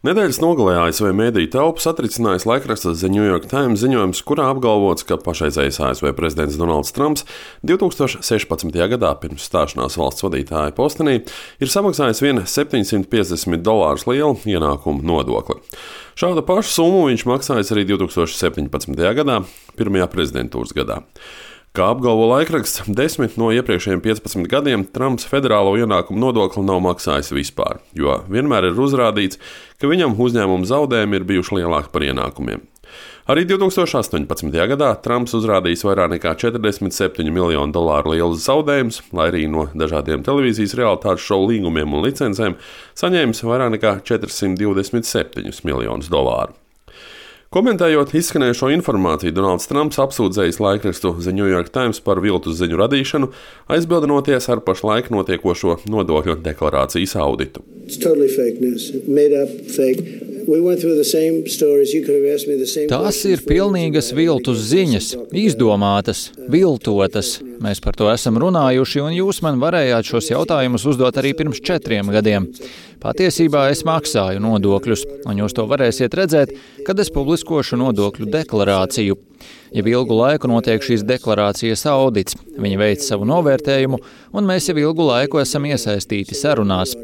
Nedēļas nogalē ASV mediju telpu satricinājis laikraksta The New York Times ziņojums, kurā apgalvots, ka pašreizējais ASV prezidents Donalds Trumps 2016. gadā pirms stāšanās valsts vadītāja postenī ir samaksājis vien $750 lielu ienākumu nodokli. Šādu pašu summu viņš maksājis arī 2017. gadā, pirmajā prezidentūras gadā. Kā apgalvo laikraksts, 10 no iepriekšējiem 15 gadiem Trumps federālo ienākumu nodokli nav maksājis vispār, jo vienmēr ir uzrādīts, ka viņam uzņēmuma zaudējumi ir bijuši lielāki par ienākumiem. Arī 2018. gadā Trumps uzrādījis vairāk nekā $47 miljonu lielus zaudējumus, lai arī no dažādiem televīzijas realitātes šovu līgumiem un licencēm saņēmis vairāk nekā $427 miljonus. Komentējot izskanējušo informāciju, Donalds Trumps apsūdzējis laikrakstu The New York Times par viltus ziņu radīšanu, aizbildinoties ar pašlaik notiekošo nodokļu deklarācijas auditu. Tās ir pilnīgas viltus ziņas, izdomātas, viltotas. Mēs par to esam runājuši, un jūs man varējāt šos jautājumus uzdot arī pirms 4 gadiem. Patiesībā es maksāju nodokļus, un jūs to varēsiet redzēt, kad es publiskošu nodokļu deklarāciju. Jau ilgu laiku notiek šīs deklarācijas audits, viņi veic savu novērtējumu, un mēs jau ilgu laiku esam iesaistīti sarunās.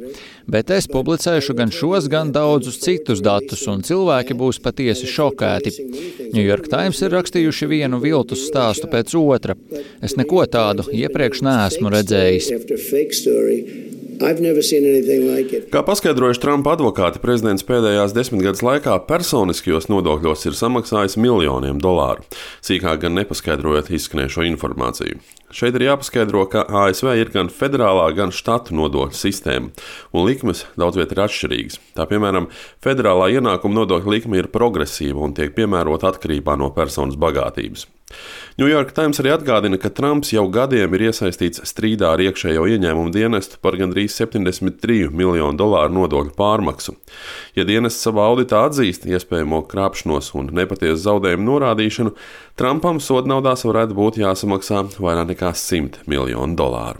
Bet es publicēšu gan šos, gan daudzus citus datus, un cilvēki būs patiesi šokēti. New York Times ir rakstījuši vienu viltus stāstu pēc otra. Es neko tādu iepriekš neesmu redzējis. Kā paskaidrojuši Trumpa advokāti, prezidents pēdējās 10 gadus laikā personiskajos nodokļos ir samaksājis miljoniem dolāru, sīkāk gan nepaskaidrojot izskanējušo informāciju. Šeit ir jāpaskaidro, ka ASV ir gan federālā, gan štatu nodokļu sistēma, un likmes daudz viet ir atšķirīgas. Tā piemēram, federālā ienākuma nodokļa likme ir progresīva un tiek piemērota atkarībā no personas bagātības. New York Times arī atgādina, ka Trumps jau gadiem ir iesaistīts strīdā ar iekšējo ieņēmumu dienestu par gandrīz $73 miljonu nodokļu pārmaksu. Ja dienests savā auditā atzīst iespējamo krāpšanos un nepatiesu zaudējumu norādīšanu, Trumpam sodnaudās varētu būt jāsamaksā vairāk nekā $100 miljonu.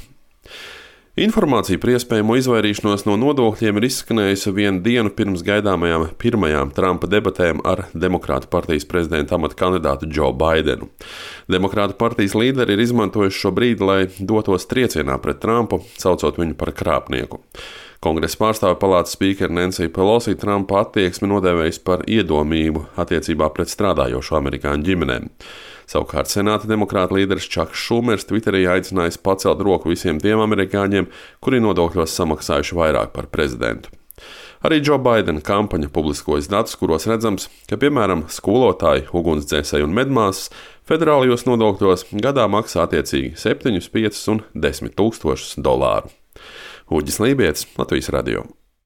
Informācija par iespējamo izvairīšanos no nodokļiem ir izskanējusi vienu dienu pirms gaidāmajām pirmajām Trumpa debatēm ar Demokrātu partijas prezidenta amata kandidātu Joe Bidenu. Demokrātu partijas līderi ir izmantojuši šo brīdi, lai dotos triecienā pret Trumpu, saucot viņu par krāpnieku. Kongresa pārstāvju palātas spīkere Nancy Pelosi Trumpa attieksmi nodēvējusi par iedomību attiecībā pret strādājošo amerikāņu ģimenēm. Savukārt senāta demokrāta līderis Čaks Šumers Twitterī aicinājis pacelt roku visiem tiem amerikāņiem, kuri nodokļos samaksājuši vairāk par prezidentu. Arī Joe Bidena kampaņa publiskojas datus, kuros redzams, ka, piemēram, skolotāji, ugunsdzēsēji un medmāsas federālajos nodokļos gadā maksā attiecīgi 7, 5 un $10 000. Uģis Lībietis, Latvijas radio.